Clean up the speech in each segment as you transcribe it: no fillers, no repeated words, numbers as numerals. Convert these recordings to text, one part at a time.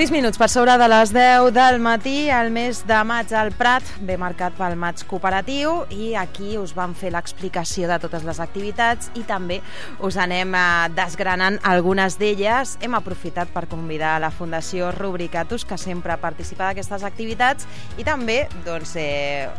6 minuts per sobre de les 10 del matí. El mes de maig al Prat ve marcat pel maig cooperatiu i aquí us vam fer l'explicació de totes les activitats i també us anem desgranant algunes d'elles. Hem aprofitat per convidar la Fundació Rubricatus, que sempre participa d'aquestes activitats, i també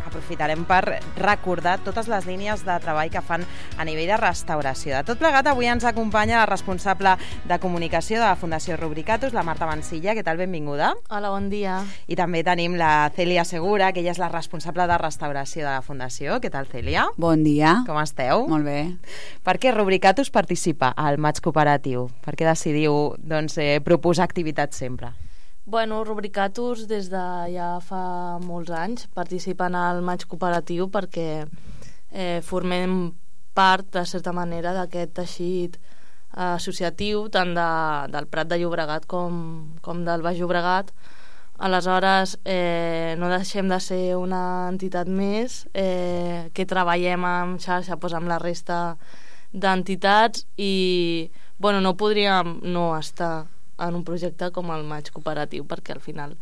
aprofitarem per recordar totes les línies de treball que fan a nivell de restauració. De tot plegat, avui ens acompanya la responsable de comunicació de la Fundació Rubricatus, la Marta Mansilla. Què tal? Benvinguda. Hola, bon dia. I també tenim la Cèlia Segura, que ella és la responsable de restauració de la Fundació. Què tal, Cèlia? Bon dia. Com esteu? Molt bé. Per què Rubricatus participa al maig cooperatiu? Per què decidiu proposar activitats sempre? Bueno, Rubricatus des de ja fa molts anys participen al maig cooperatiu perquè formem part, de certa manera, d'aquest teixit associatiu tant del Prat de Llobregat com del Baix Llobregat. Aleshores no deixem de ser una entitat més que treballem en xarxa amb la resta d'entitats i no podríem no estar en un projecte com el maig cooperatiu, perquè al final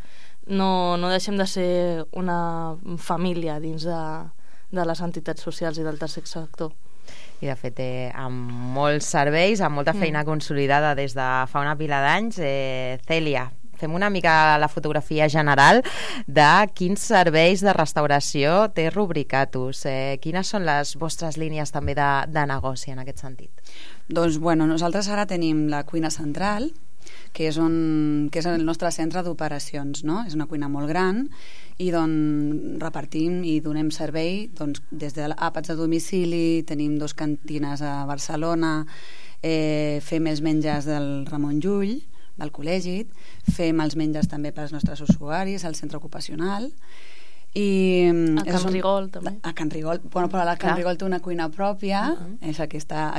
no deixem de ser una família dins de les entitats socials i del tercer sector. I de fet amb molts serveis, amb molta feina consolidada des de fa una pila d'anys. Cèlia, fem una mica la fotografia general de quins serveis de restauració té Rubricatus. Quines són les vostres línies també de negoci en aquest sentit? Doncs nosaltres ara tenim la cuina central, que és el nostre centre d'operacions, no? És una cuina molt gran i repartim i donem servei des d'àpats a domicili, tenim 2 cantines a Barcelona, fem els menjars del Ramon Llull, del col·legi, fem els menjars també pels nostres usuaris al centre ocupacional i a Can Rigol també. A Can Rigol, però la Can Rigol té una cuina pròpia, és aquesta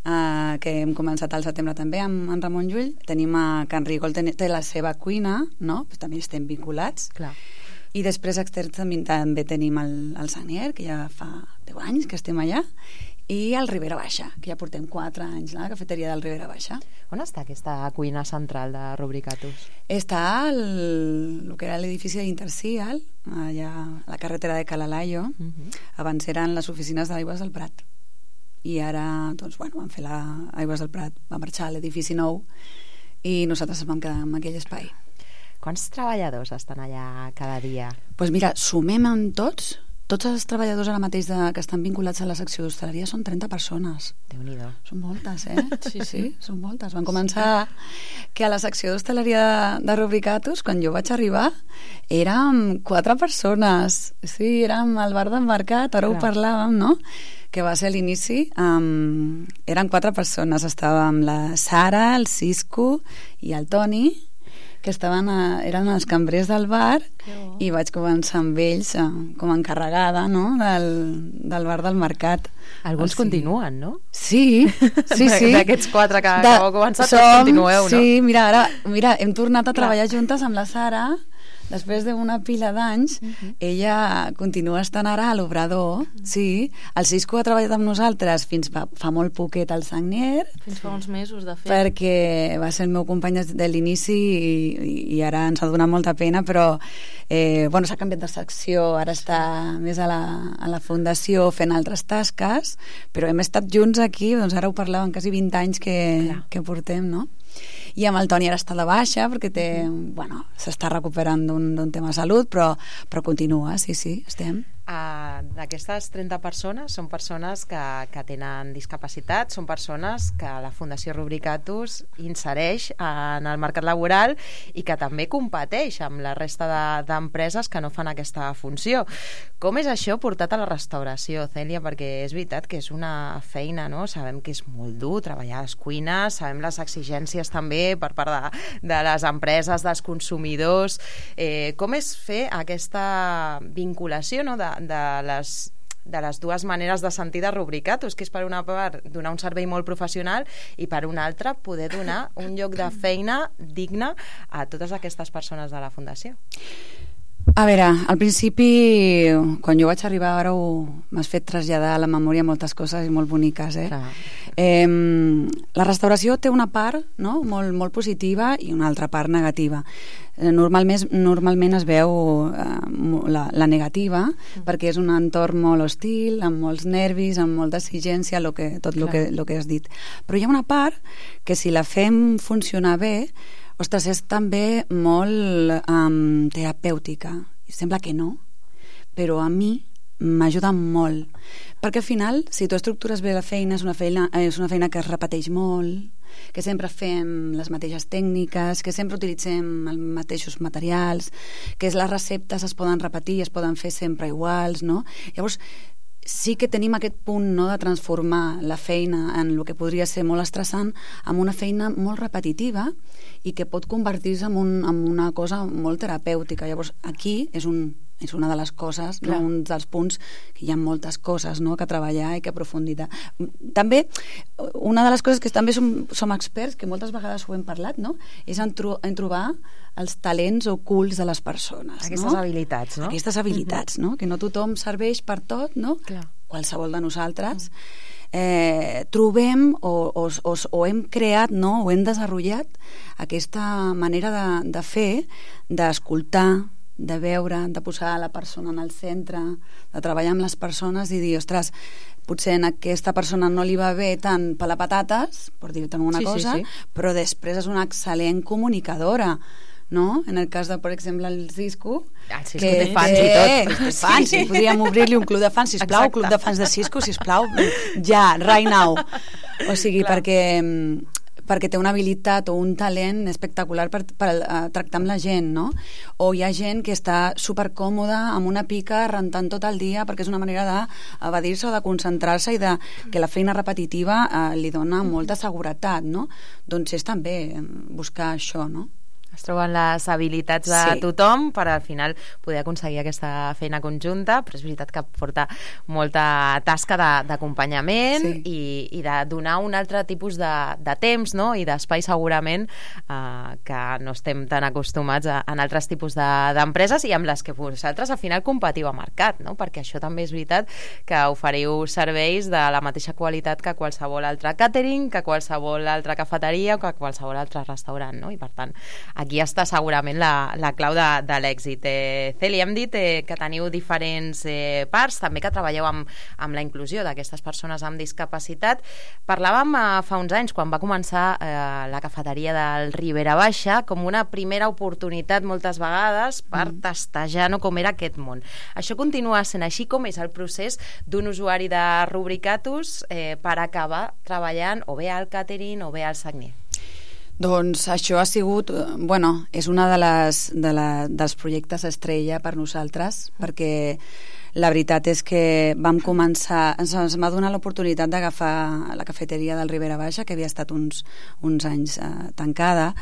que hem començat al setembre també amb en Ramon Llull. Tenim a Can Rigol, té la seva cuina, no? Però també estem vinculats. Clar. I després externs també tenim el Sagnier, que ja fa 10 anys que estem allà, i el Ribera Baixa, que ja portem 4 anys, la cafeteria del Ribera Baixa. On està aquesta cuina central de Rubricatus? Està el que era l'edifici d'Intercial, allà a la carretera de Calalaio. Abans eren les oficines d'Aigües del Prat. I ara, van fer Aigües del Prat, va marxar a l'edifici nou i nosaltres ens vam quedar en aquell espai. Quants treballadors estan allà cada dia? Doncs mira, sumem amb tots els treballadors ara mateix que estan vinculats a la secció d'hostaleria són 30 persones. Déu-n'hi-do. Són moltes, Sí, són moltes. Van començar que a la secció d'hostaleria de Rubricatus, quan jo vaig arribar, érem 4 persones. Sí, érem al bar del mercat, ara ho parlàvem, no?, que va ser a l'inici, eren 4 persones. Estàvem la Sara, el Cisco i el Toni, que eren els cambrers del bar, i vaig començar amb ells com a encarregada, no?, del bar del mercat. Alguns continuen, no? Sí. D'aquests 4 que heu començat, continueu, no? Sí, mira, hem tornat a treballar juntes amb la Sara. Després d'una pila d'anys, ella continua estant ara a l'obrador, sí. El Cisco ha treballat amb nosaltres fins fa molt poquet al Sagnier. Fins fa uns mesos, de fet. Perquè va ser el meu company des de l'inici i ara ens ha donat molta pena, però s'ha canviat de secció, ara està més a la fundació fent altres tasques, però hem estat junts aquí, ara ho parlàvem, quasi 20 anys que portem, no? I amb el Toni ara està de baixa perquè s'està recuperant d'un tema de salut, però continua, sí, estem. D'aquestes 30 persones són persones que tenen discapacitat, són persones que la Fundació Rubricatus insereix en el mercat laboral i que també competeix amb la resta d'empreses que no fan aquesta funció. Com és això portat a la restauració, Cèlia? Perquè és veritat que és una feina, no? Sabem que és molt dur treballar a les cuines, sabem les exigències també per part de les empreses, dels consumidors. Com és fer aquesta vinculació, no?, de les dues maneres de sentir de Rubricatus, que és per una part donar un servei molt professional i per una altra poder donar un lloc de feina digne a totes aquestes persones de la Fundació? A veure, al principi, quan jo vaig arribar, ara m'has fet traslladar a la memòria moltes coses i molt boniques, la restauració té una part, no?, molt positiva i una altra part negativa. Normalment es veu la negativa, perquè és un entorn molt hostil, amb molts nervis, amb molta exigència, tot el que has dit. Però hi ha una part que, si la fem funcionar bé, ostres, és també molt terapèutica. Sembla que no, però a mi m'ajuda molt. Perquè al final, si tu estructures bé la feina, és una feina que es repeteix molt, que sempre fem les mateixes tècniques, que sempre utilitzem els mateixos materials, que les receptes es poden repetir, es poden fer sempre iguals, no? Llavors, sí que tenim aquest punt, no?, de transformar la feina en el que podria ser molt estressant en una feina molt repetitiva i que pot convertir-se en una cosa molt terapèutica. Llavors, aquí és una de les coses, no? Un dels punts que hi ha moltes coses, no?, que treballar i que aprofundir. També, una de les coses que també som experts, que moltes vegades ho hem parlat, no?, és en trobar els talents ocults de les persones. Aquestes habilitats, no? Aquestes habilitats, no? Que no tothom serveix per tot, no? Clar. Qualsevol de nosaltres. Trobem o hem creat, no?, o hem desenvolupat aquesta manera de fer, d'escoltar, de veure, de posar la persona en el centre, de treballar amb les persones i dir, ostres, potser a aquesta persona no li va bé tant per les patates, per dir-te alguna cosa, però després és una excel·lent comunicadora, no? En el cas de, per exemple, el Cisco, que té fans i tot. Fans, podríem obrir-li un club de fans, sisplau, club de fans de Cisco, sisplau, ja, right now. O sigui, perquè té una habilitat o un talent espectacular per tractar amb la gent, no? O hi ha gent que està supercòmoda amb una pica rentant tot el dia perquè és una manera d'evadir-se o de concentrar-se i que la feina repetitiva li dona molta seguretat, no? Doncs és també buscar això, no? Es troben les habilitats de tothom per al final poder aconseguir aquesta feina conjunta, però és veritat que porta molta tasca d'acompanyament i de donar un altre tipus de temps, no?, i d'espai segurament que no estem tan acostumats en altres tipus d'empreses i amb les que vosaltres al final competiu a mercat, no?, perquè això també és veritat que oferiu serveis de la mateixa qualitat que qualsevol altre càtering, que qualsevol altra cafeteria o que qualsevol altre restaurant, no?, i per tant aquí està segurament la clau de l'èxit. Cèlia, hem dit que teniu diferents parts, també que treballeu amb la inclusió d'aquestes persones amb discapacitat. Parlàvem fa uns anys, quan va començar la cafeteria del Ribera Baixa, com una primera oportunitat moltes vegades per testejar, no?, com era aquest món. Això continua sent així? Com és el procés d'un usuari de Rubricatus per acabar treballant o bé al càtering o bé al Sagnier? Doncs això ha sigut, és una dels projectes estrella per nosaltres, perquè la veritat és que vam començar, ens va donar l'oportunitat d'agafar la cafeteria del Ribera Baixa, que havia estat uns anys tancada,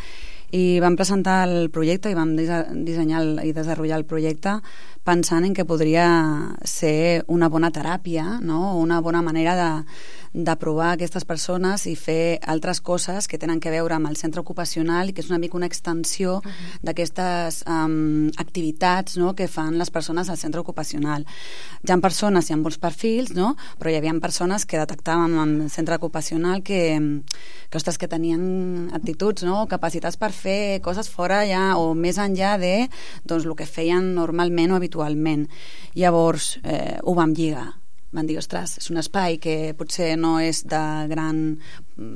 i vam presentar el projecte i vam dissenyar i desenvolupar el projecte pensant en que podria ser una bona teràpia, no?, una bona manera de provar aquestes persones i fer altres coses que tenen que veure amb el centre ocupacional i que és una mica una extensió d'aquestes activitats, no?, que fan les persones al centre ocupacional. Hi ha persones, hi ha molts perfils, no?, però hi havia persones que detectàvem en el centre ocupacional que tenien actituds, no?, capacitats per fer coses fora ja o més enllà de el que feien normalment o habitualment. Llavors ho vam lligar van dir, ostres, és un espai que potser no és de gran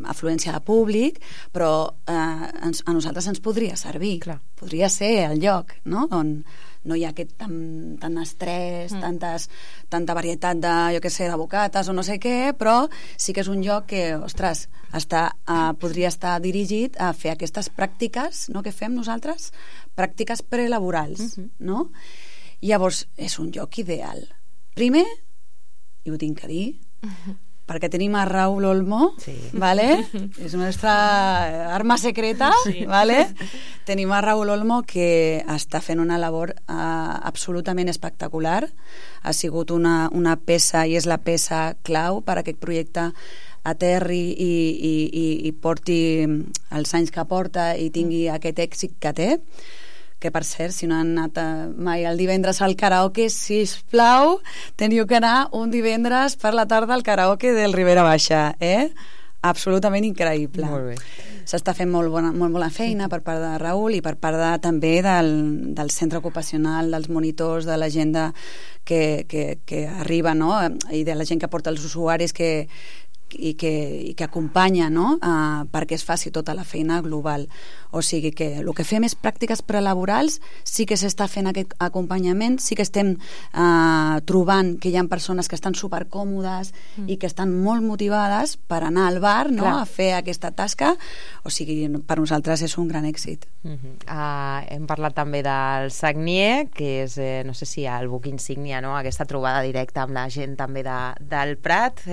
afluència de públic, però a nosaltres ens podria servir. Clar. Podria ser el lloc, no?, on no hi ha aquest tant estrès, tanta varietat de, jo què sé, de bocates o no sé què, però sí que és un lloc que, ostres, podria estar dirigit a fer aquestes pràctiques, no?, que fem nosaltres, pràctiques prelaborals, no? Llavors, és un lloc ideal. Primer, i ho tinc a dir, perquè tenim a Raúl Olmo, ¿vale? És la nostra arma secreta, ¿vale? Tenim a Raúl Olmo que està fent una labor absolutament espectacular. Ha sigut una peça, i és la peça clau per a aquest projecte aterri i porti els anys que porta i tingui aquest èxit que té, que per cert, si no han anat mai el divendres al karaoke, sisplau, teniu que anar un divendres per la tarda al karaoke del Ribera Baixa, absolutament increïble. Molt bé. S'està fent molt bona feina per part de Raül i per part també del centre ocupacional, dels monitors, de la gent que arriba, no?, i de la gent que porta els usuaris i que acompanya, no?, perquè es faci tota la feina global. O sigui que el que fem és pràctiques prelaborals, sí que s'està fent aquest acompanyament, sí que estem trobant que hi ha persones que estan supercòmodes i que estan molt motivades per anar al bar, no?, a fer aquesta tasca. O sigui, per nosaltres és un gran èxit. Hem parlat també del Sagnier, que és, no sé si el buc insígnia, no?, aquesta trobada directa amb la gent també del Prat.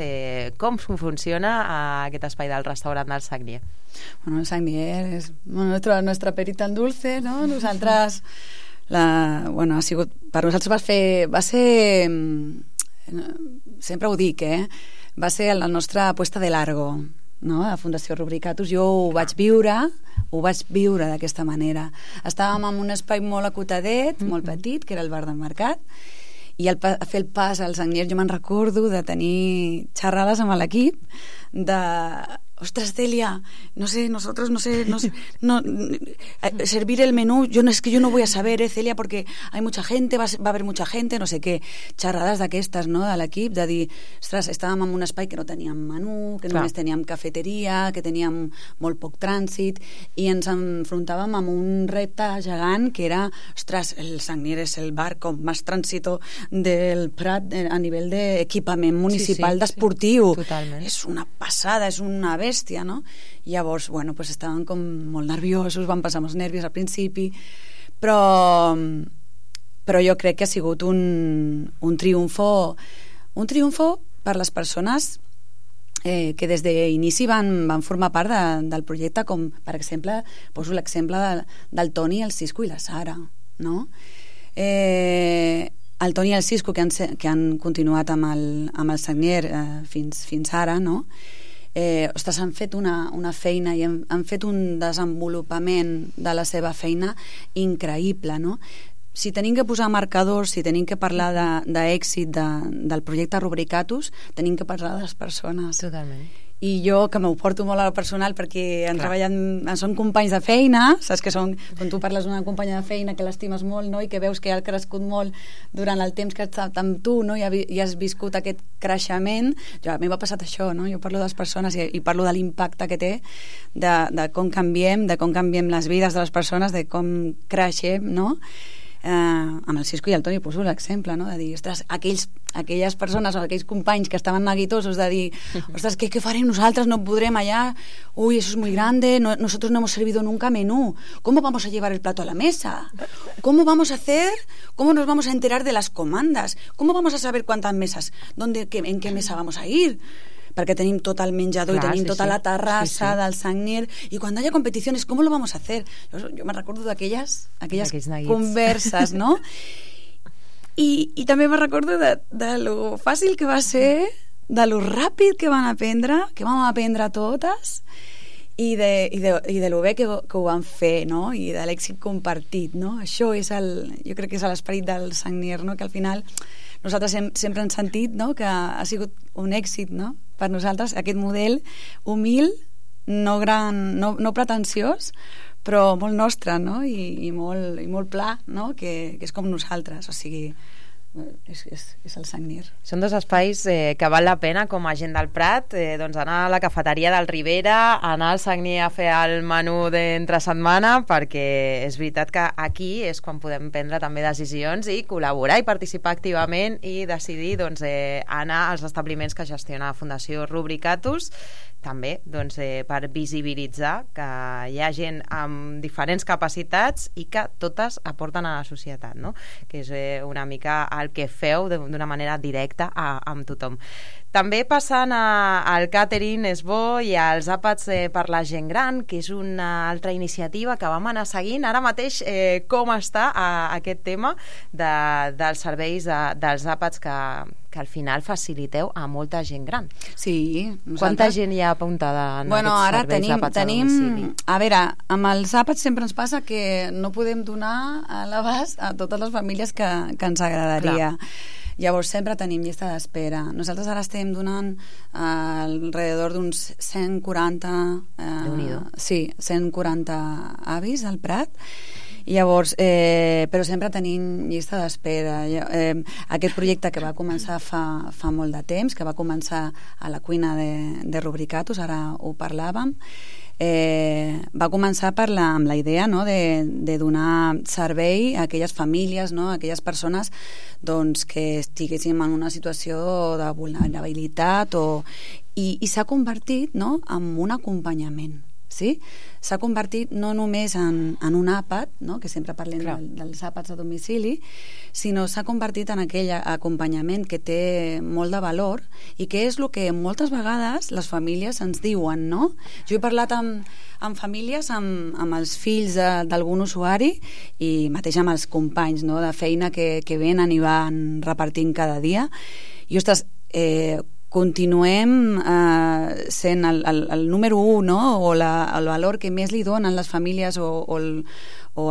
Com funciona aquest espai del restaurant del Sagnier? Bueno, el Sagnier és nuestra perita en dulce, no? Nosaltres ha sigut, per nosaltres va ser sempre ho dic, va ser la nostra apuesta de largo, no?, a Fundació Rubricatus. Jo ho vaig viure d'aquesta manera. Estàvem en un espai molt acotadet, molt petit, que era el bar del Mercat, i al fer el pas al Sagnier jo me'n recordo de tenir xerrades amb l'equip de... Ostras, Celia, no sé, servir el menú, es que yo no voy a saber, Celia, porque hay mucha gente, va a haber mucha gente, no sé què, xerrades d'aquestes, no?, de l'equip, de dir, ostres, estàvem en un espai que no teníem menú, que només teníem cafeteria, que teníem molt poc trànsit, i ens enfrontàvem amb un repte gegant que era, ostres, el Sagnier és el bar com més trànsito del Prat a nivell d'equipament municipal d'esportiu. Totalment. És una passada, és una bèstia, no? Llavors, bueno, pues estaven com molt nerviosos, van passar molts nervis al principi, però jo crec que ha sigut un triomfo per les persones que des d'inici van formar part del projecte, com per exemple, poso l'exemple del Toni, el Cisco i la Sara, no? El Toni i el Cisco, que han continuat amb el Sagnier fins ara, no? Ostres, han fet una feina i han fet un desenvolupament de la seva feina increïble, no? Si tenim que posar marcadors, si tenim que parlar d'èxit del projecte Rubricatus, tenim que parlar de les persones. Totalment. I jo, que m'ho porto molt a lo personal perquè són companys de feina, saps que són, quan tu parles d'una companya de feina que l'estimes molt, no?, i que veus que ha crescut molt durant el temps que has estat amb tu, no?, i has viscut aquest creixement. A mi m'ha passat això, no?, jo parlo de les persones i parlo de l'impacte que té, de com canviem les vides de les persones, de com creixem, no?, amb el Cisco i el Toni poso l'exemple, no?, de dir, ostres, aquelles persones o aquells companys que estaven neguitosos de dir, ostres, ¿qué farem nosaltres? No podrem allá, uy, eso es muy grande, nosotros no hemos servido nunca menú, ¿cómo vamos a llevar el plato a la mesa? ¿Cómo vamos a hacer? ¿Cómo nos vamos a enterar de las comandas? ¿Cómo vamos a saber cuántas mesas? ¿En qué mesa vamos a ir? Perquè tenim tot el menjador i tenim tota la terrassa del Sagnier, i quan hi ha competicions, ¿cómo lo vamos a hacer? Jo me recordo d'aquelles converses, no? I també me recordo de lo fàcil que va ser, de lo ràpid que vam aprendre totes, i de lo bé que ho van fer, no?, i de l'èxit compartit, no? Això és jo crec que és l'esperit del Sagnier, no?, que al final nosaltres sempre hem sentit, no?, que ha sigut un èxit, no?, per nosaltres, aquest model humil, no pretensiós, però molt nostre, no?, i molt pla, no?, que és com nosaltres. O sigui, és el Sagnir. Són dos espais que val la pena com a gent del Prat, doncs anar a la cafeteria del Ribera, anar al Sagnir a fer el menú d'entre setmana, perquè és veritat que aquí és quan podem prendre també decisions i col·laborar i participar activament i decidir doncs, anar als establiments que gestiona la Fundació Rubricatus, també doncs, per visibilitzar que hi ha gent amb diferents capacitats i que totes aporten a la societat, no? Que és una mica el que feu d'una manera directa amb tothom. També passant al càtering és bo i als àpats per la gent gran, que és una altra iniciativa que vam anar seguint. Ara mateix com està aquest tema dels serveis dels àpats que al final faciliteu a molta gent gran. Sí. Quanta gent hi ha apuntada en aquests ara serveis d'àpats a domicili? A veure, amb els àpats sempre ens passa que no podem donar a l'abast a totes les famílies que ens agradaria. Clar. Llavors sempre tenim llista d'espera. Nosaltres ara estem donant alrededor d'uns 140 sí, 140 avis al Prat. Llavors, però sempre tenim llista d'espera. Aquest projecte que va començar fa molt de temps, que va començar a la cuina de Rubricatus, ara ho parlàvem, va començar amb la idea, no, de donar servei a aquelles famílies, no, a aquelles persones doncs, que estiguéssim en una situació de vulnerabilitat i s'ha convertit, no, en un acompanyament. Sí? S'ha convertit no només en un àpat, no? Que sempre parlem dels àpats a domicili, sinó s'ha convertit en aquell acompanyament que té molt de valor i que és el que moltes vegades les famílies ens diuen, no? Jo he parlat amb famílies, amb els fills d'algun usuari i mateix amb els companys, no? De feina que venen i van repartint cada dia i, ostres, continuem sent el número 1, no? O el valor que més li donen les famílies o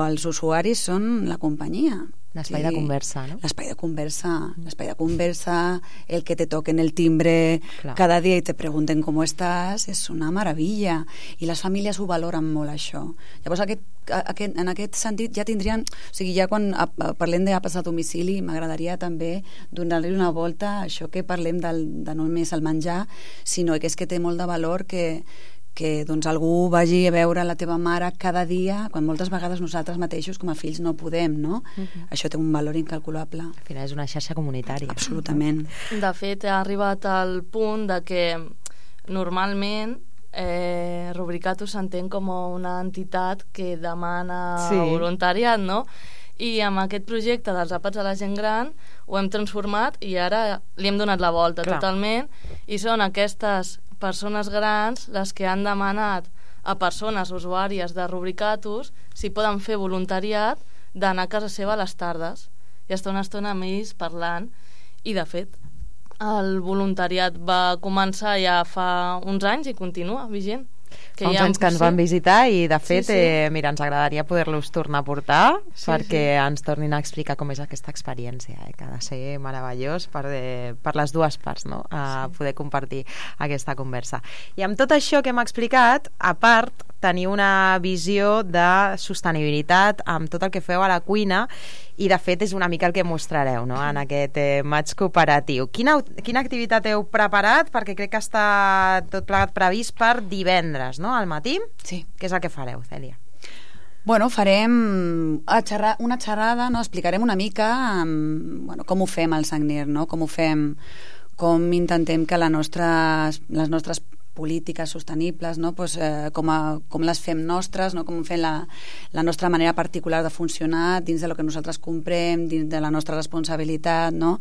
els usuaris són la companyia. L'espai de conversa, no? L'espai de conversa, el que te toquen el timbre cada dia i te pregunten com estàs, és una meravella. I les famílies ho valoren molt, això. Llavors, en aquest sentit, ja tindrien... O sigui, ja quan parlem d'àpats a domicili, m'agradaria també donar-li una volta a això que parlem de no només el menjar, sinó que és que té molt de valor que doncs, algú vagi a veure la teva mare cada dia, quan moltes vegades nosaltres mateixos com a fills no podem, no? Això té un valor incalculable. Al final és una xarxa comunitària. Absolutament. De fet, ha arribat al punt de que normalment Rubricatus s'entén com una entitat que demana voluntariat, no? I amb aquest projecte dels àpats a la gent gran ho hem transformat i ara li hem donat la volta totalment, i són aquestes persones grans les que han demanat a persones usuàries de Rubricatus si poden fer voluntariat d'anar a casa seva a les tardes i estar una estona amb ells parlant. I de fet el voluntariat va començar ja fa uns anys i continua vigent. Fa uns anys que ens van visitar i de fet mira, ens agradaria poder-los tornar a portar perquè ens tornin a explicar com és aquesta experiència, que ha de ser meravellós per les dues parts, no? Poder compartir aquesta conversa. I amb tot això que hem explicat, a part tenir una visió de sostenibilitat amb tot el que feu a la cuina i de fet és una mica el que mostrareu, no? En aquest maig cooperatiu. Quina activitat heu preparat? Perquè crec que està tot plegat previst per divendres, no? Al matí? Sí. Què és el que fareu, Cèlia? Bueno, farem una xerrada, no? Explicarem una mica com ho fem al Sagnir, no? Com ho fem, com intentem que les nostres polítiques sostenibles, no? Pues, com les fem nostres, no? Com fem la nostra manera particular de funcionar dins de lo que nosaltres comprem, dins de la nostra responsabilitat, no?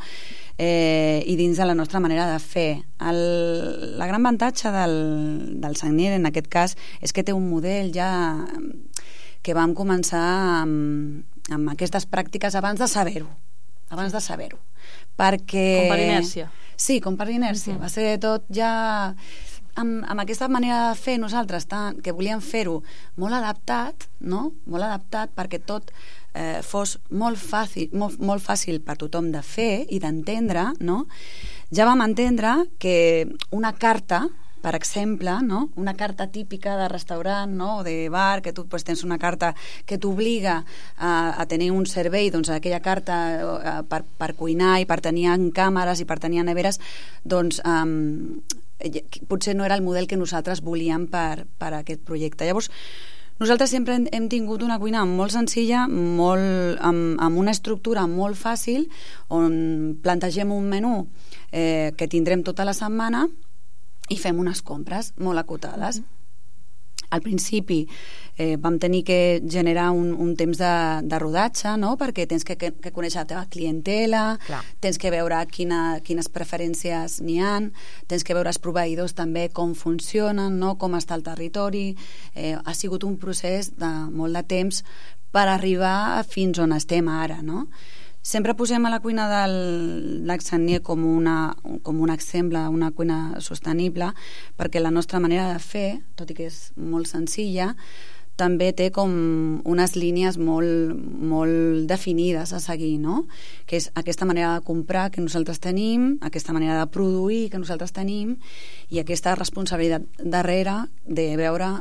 I dins de la nostra manera de fer. La gran avantatge del Sagnir en aquest cas és que té un model ja que vam començar amb aquestes pràctiques abans de saber-ho. Perquè... Com per inèrcia. Sí, com per inèrcia. Va ser tot ja... Amb aquesta manera de fer nosaltres, que volíem fer-ho molt adaptat, no? Molt adaptat perquè tot fos molt fàcil per tothom de fer i d'entendre, no? Ja vam entendre que una carta per exemple, no? Una carta típica de restaurant, no? O de bar, que tu pues, tens una carta que t'obliga a tenir un servei, doncs aquella carta per cuinar i per tenir càmeres i per tenir neveres, doncs potser no era el model que nosaltres volíem per aquest projecte. Llavors, nosaltres sempre hem tingut una cuina molt senzilla, amb una estructura molt fàcil, on plantegem un menú que tindrem tota la setmana i fem unes compres molt acotades. Al principi vam tenir que generar un temps de rodatge, no? Perquè tens que conèixer la teva clientela, tens que veure quines preferències n'hi ha, tens que veure els proveïdors també com funcionen, no? Com està el territori. Ha sigut un procés de molt de temps per arribar fins on estem ara, no? Sempre posem a la cuina del Lac Sagnier com un exemple, una cuina sostenible, perquè la nostra manera de fer, tot i que és molt senzilla, també té com unes línies molt definides a seguir, no? Que és aquesta manera de comprar que nosaltres tenim, aquesta manera de produir que nosaltres tenim i aquesta responsabilitat darrere de veure,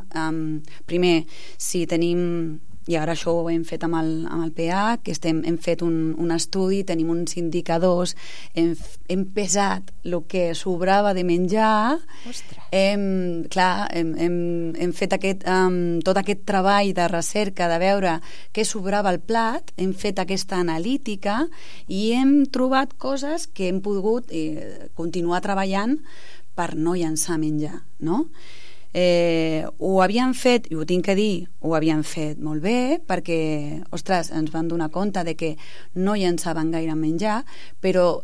primer, si tenim... I ara això ho hem fet amb el PA, que hem fet un estudi, tenim uns indicadors, hem pesat el que sobrava de menjar. Hem fet tot aquest treball de recerca de veure què sobrava al plat, hem fet aquesta analítica i hem trobat coses que hem pogut continuar treballant per no llançar menjar, no? Ho havíem fet, i ho tinc que dir, ho havíem fet molt bé perquè, ostres, ens van donar compte de que no llançaven gaire menjar, però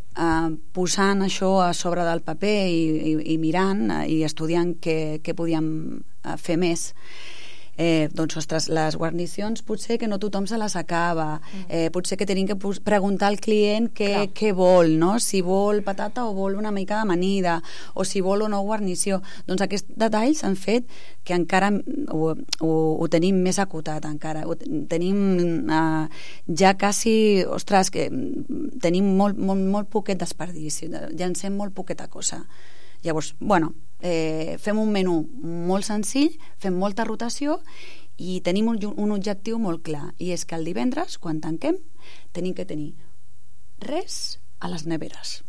posant això a sobre del paper i mirant i estudiant què podíem fer més, doncs, ostres, les guarnicions potser que no tothom se les acaba, potser que tenim que preguntar al client què vol, no? Si vol patata o vol una mica d'amanida, o si vol o no guarnició. Doncs aquests detalls han fet que encara ho tenim més acotat, encara. Tenim ja quasi, ostres, que tenim molt poquet desperdici, llancem molt poqueta cosa. Llavors, bueno, fem un menú molt senzill, fem molta rotació i tenim un objectiu molt clar, i és que el divendres, quan tanquem, tenim que tenir res a les neveres.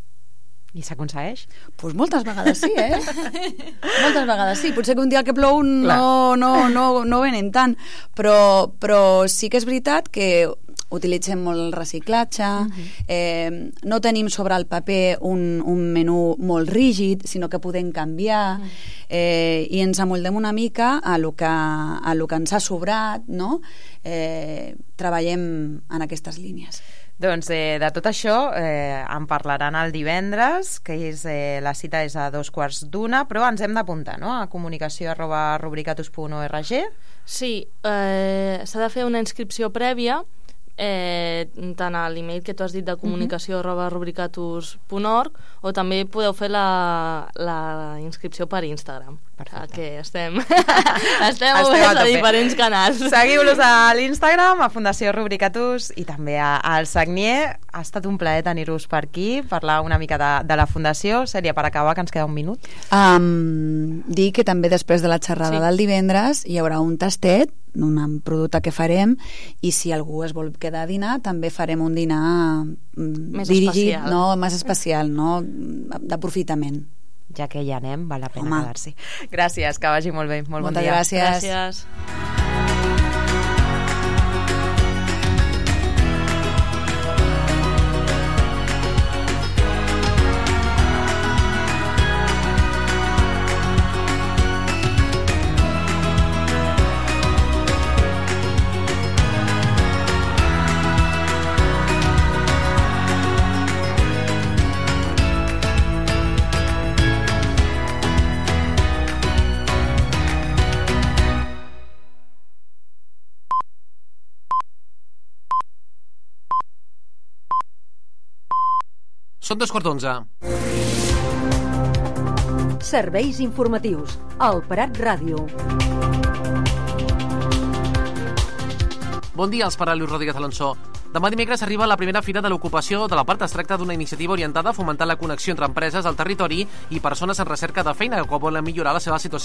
I s'aconsegueix? Doncs moltes vegades sí, moltes vegades sí. Potser que un dia que plou no venen tant, però sí que és veritat que utilitzem molt el reciclatge, no tenim sobre el paper un menú molt rígid, sinó que podem canviar, i ens amoldem una mica a lo que ens ha sobrat, no? Treballem en aquestes línies. Doncs de tot això en parlaran el divendres, que la cita és a 2:15, però ens hem d'apuntar, no?, a comunicació@rubricatus.org. Sí, s'ha de fer una inscripció prèvia, tant a l'email que tu has dit de comunicació@rubricatus.org, o també podeu fer la inscripció per Instagram. Que estem oberts a diferents canals. Seguiu-los a l'Instagram, a Fundació Rubricatus i també al Sagnier. Ha estat un plaer tenir-vos per aquí, parlar una mica de la Fundació. Sèria, per acabar, que ens queda un minut. Dir que també després de la xerrada del divendres hi haurà un tastet, un producte que farem, i si algú es vol quedar a dinar, també farem un dinar més dirigit, especial. Més especial, d'aprofitament. Ja que hi anem, val la pena quedar-s'hi. Gràcies, que vagi molt bé. Molt bon dia. Moltes gràcies. Gràcies. Són 2:15. Serveis informatius al Prat Ràdio. Bon dia, els parla Lluís Rodríguez Alonso. Demà dimecres arriba la primera fira de l'ocupació de la part. Es tracta d'una iniciativa orientada a fomentar la connexió entre empreses al territori i persones en recerca de feina que volen millorar la seva situació